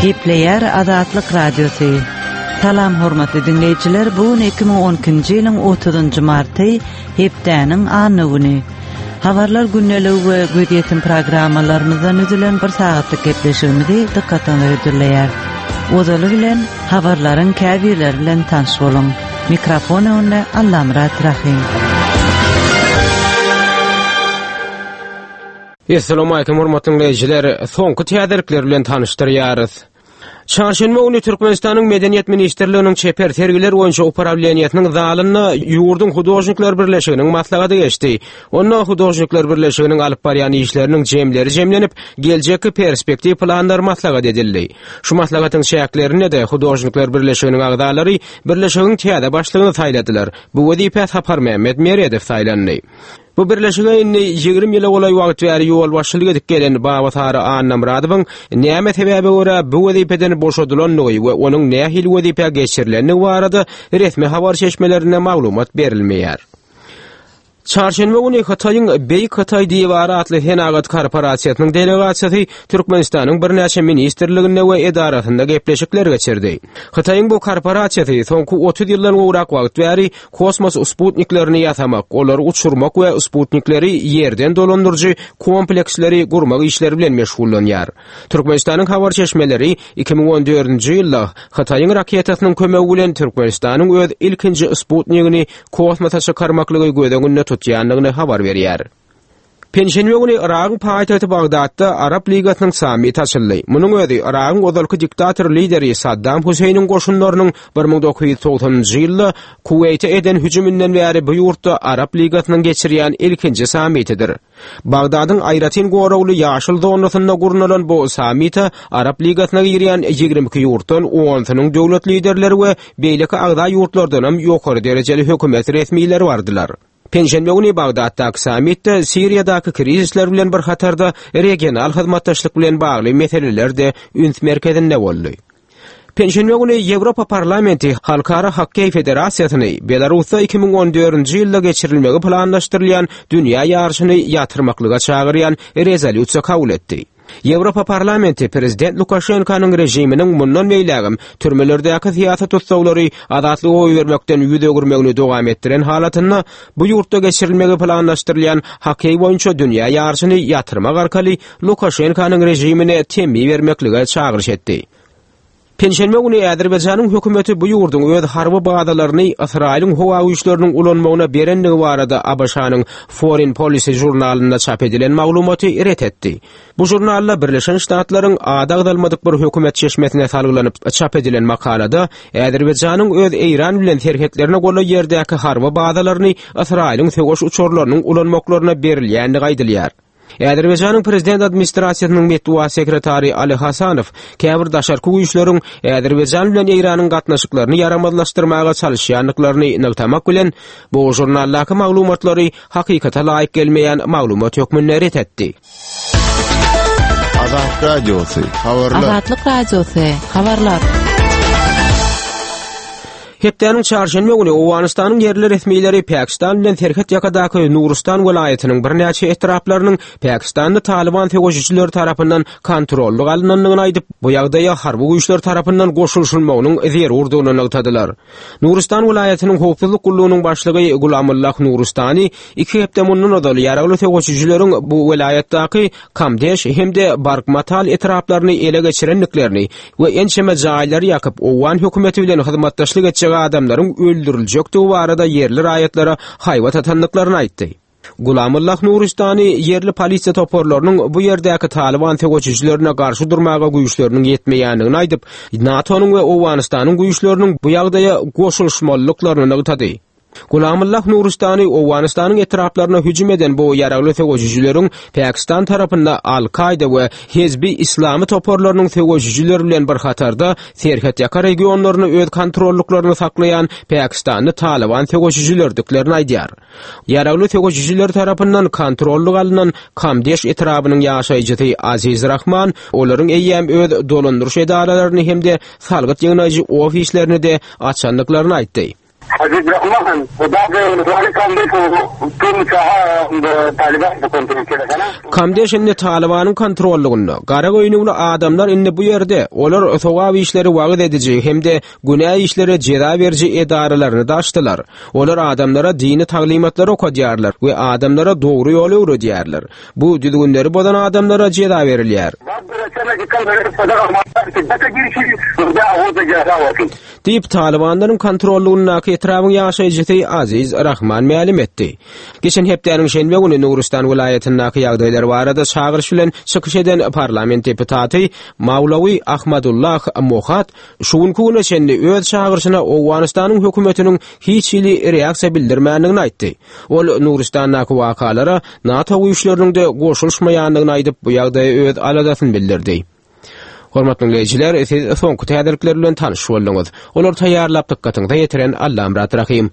Gepleýär Azatlyk Radiosy. Salam hormatly diňleýjiler, bu gün 2012-nji ýylyň 30-njy marty, hepdäniň anna güni. Habarlar gündeligi we gözýetim programmalarymyzdan düzülen bir sagatlyk gepleşigimizi dykgatyňyza hödürleýär. Ozaly bilen habarlaryň käbirleri bilen tanyş boluň. Mikrofon öňünde Allamyrat Rahym. Essalamu aýkum hormatly diňleýjiler! Soňky täzelikler bilen tanyşdyrýarys. Çarşenbe güni Türkmenistanyň Medeniýet ministrliginiň çeper sergiler boýunça uprawleniýesiniň zalynda ýurduň Hudožnikler birleşiginiň maslahaty geçdi. Onda Hudožnikler birleşiginiň alyp barýan işleriniň jemleri jemlenip, geljekki perspektiw planlary maslahat edildi. Şu maslahatyň çäklerinde-de Hudožnikler birleşiginiň agzalary birleşigiň täze başlygyny saýladylar. Bu wezipä Saparmämmet Meredow saýlandy. Bu birleşige indi 20 ýyla golaý wagt bäri ýolbaşçylyk edip gelen Babasary Annamyradowyň näme sebäbe görä bu wezipeden boşadylandygy we onuň nähili wezipä geçirilendigi barada resmi habar çeşmelerinde maglumat berilmeýär. Çarşenbe güni Hytaýyň Beýik Hytaý diwary atly senagat korporasiýasynyň delegasiýasy Türkmenistanyň birnäçe ministrliginde we edarasynda gepleşikler geçirdi. Hytaýyň bu korporasiýasy soňky 30 ýyldan gowrak wagt bäri Kosmos sputniklerini ýasamak, olary uçurmak we sputnikleri ýerden dolandyryjy kompleksleri gurmak işleri bilen meşgullanýar. Türkmenistanyň habar çeşmeleri 2014-nji ýylda Hytaýyň raketasynyň kömegi bilen Türkmenistanyň öz ilkinji sputnigini kosmosa çykarmaklygy göz öňünde tutýandygyny habar berýär. Penşenbe güni Yragyň paýtagty Bagdatda Arap Ligasynyň sammiti açyldy. Munuň özi Yragyň ozalky diktator lideri Saddam Huseýniň goşunlarynyň 1990-njy ýylda Kuweýte eden hüjüminden bäri bu ýurtda Arap Ligasynyň geçirýän ilkinji sammitidir. Bagdadyň aýratyn goragly ýaşyl zonasynda gurnalan bu sammite Arap Ligasyna girýän 22 ýurtdan onsunyň döwlet liderleri we beýleki agza ýurtlardanam ýokary derejeli hökümet resmileri bardylar. Penşenbe güni Bagdatdaky sammitde Siriýadaky krizisler bilen bir hatarda regional hyzmatdaşlyk bilen bagly meseleler-de üns merkezinde boldy. Penşenbe güni Ýewropa Parlamenti Halkara hokkeý federasiýasyny Belarusda 2014-nji ýylda geçirilmegi planlaşdyrylýan dünýä ýaryşyny ýatyrmaklyga çagyrýan rezolýusiýa kabul etdi. Ýewropa Parlamenti prezident Lukaşenkanyň režiminiň mundan beýlägem türmelerdäki syýasy tussaglary azatlyga goýbermekden ýüz öwürmegini dowam etdiren halatynda bu ýurtda geçirilmegi planlaşdyrylýan hokkeý boýunça dünýä ýaryşyny ýatyrmak arkaly Lukaşenkanyň režimine temmi bermeklige çagyryş etdi. Penşenbe güni Azerbaýjanyň hökümeti bu ýurduň öz harby bazalaryny Ysraýylyň howa güýçleriniň ulanmagyna berendigi barada ABŞ-nyň Foreign Policy žurnalynda çap edilen maglumaty ret etdi. Bu žurnalda Birleşen Ştatlaryň ady agzalmadyk bir hökümet çeşmesine salgylanyp çap edilen makalada Azerbaýjanyň öz Eýran bilen serhetlerine golaý ýerdäki harby bazalaryny Ysraýylyň söweş uçarlarynyň ulanmaklaryna berilýändigi aýdylýar. Azerbaýjanyň prezident administrasiýasynyň metbugat sekretary Ali Hasanow käbir daşarky güýçleriň Azerbaýjan bilen Eýranyň gatnaşyklaryny ýaramazlaşdyrmaga çalyşýandyklaryny nygtamak bilen, bu žurnaldaky maglumatlary hakykata laýyk gelmeýän maglumat hökmünde ret etdi. Azatlyk Radiosy, habarlar. Azatlyk Radiosy, habarlar. Hepdäniň çarşenbe güni Owganystanyň ýerli resmileri Pakistan bilen serhet ýakadaky Nurystan welaýatynyň birnäçe etraplarynyň Pakistanly Talyban söweşijileri tarapyndan kontrollyk alynandygyny aýdyp, bu ýagdaýa harby güýçler tarapyndan goşulyşylmagynyň zerurdygyny nygtadylar. Nurystan welaýatynyň howpsuzlyk gullugynyň başlygy Gulamullah Nurystany iki hepde mundan ozal ýaragly söweşijileriň bu welaýatdaky Kamdeş hem-de Barkmatal etraplaryny ele geçirendiklerini we ençeme jaýlary ýakyp, owgan hökümeti bilen hyzmatdaşlyk etjek adamlaryň öldüriljekdigi barada ýerli raýatlara haýbat atandyklaryny aýtdy. Gulamullah Nuristany ýerli polisiýa toparlarynyň bu ýerdäki Talyban söweşijilerine garşy durmaga güýçleriniň ýetmeýändigini aýdyp, NATO-nyň we Owganystanyň güýçleriniň bu ýagdaýa goşulyşmalydyklaryny nygtady. Gulamullah Nuristany Owganystanyň etraplaryna hüjüm eden bu ýaragly söweşijileriň Pakistan tarapynda Al-Kaýda we Hezbi Islamy toparlarynyň söweşijileri bilen bir hatarda serhetýaka regionlaryny öz kontrollyklarynda saklaýan pakistanly Talyban söweşijilerdiklerini aýdýar. Ýaragly söweşijiler tarapyndan kontrollyk alnan Kamdeş etrabynyň ýaşaýjysy Aziz Rahman olaryň eýýäm öz dolandyryş edaralaryny hem-de salgyt ýygnaýjy ofislerini-de açandyklaryny aýtdy. Habib Rahman, Kamdeş indi Talybanyň kontrollygynda. Gara göýnükli adamlar indi bu ýerde. Olar sogap işleri wagyz ediji hem-de günä işlere jeza beriji edaralaryny-da açdylar. Olar adamlara dini taglymatlary okadýarlar we adamlara dogry ýoly öwredýärler. Bu düzgünleri bozan adamlara jeza berilýär. Diýip, talybanlaryň kontrollygyndaky etrabyň ýaşaýjysy Aziz Rahman mälim etdi. Geçen hepdäniň şenbe güni Nurystan welaýatyndaky ýagdaýlar barada çagyryş bilen çykyş eden parlament deputaty Mawlawi Ahmadullah Mohat şu günki güne çenli öz çagyryşyna Owganystanyň hökümetiniň hiç hili reaksiýa bildirmändigini aýtdy. Ol Nuristandaky wakalara NATO güýçleriniň-de goşulyşmaýandygyny aýdyp, bu ýagdaýa öz aladasyny bildirdi. Hormatly diňleýjiler, siz soňky täzelikler bilen tanyş bolduňyz. Olary taýýarlap dykgatyňyza ýetiren Allamyrat Rahym.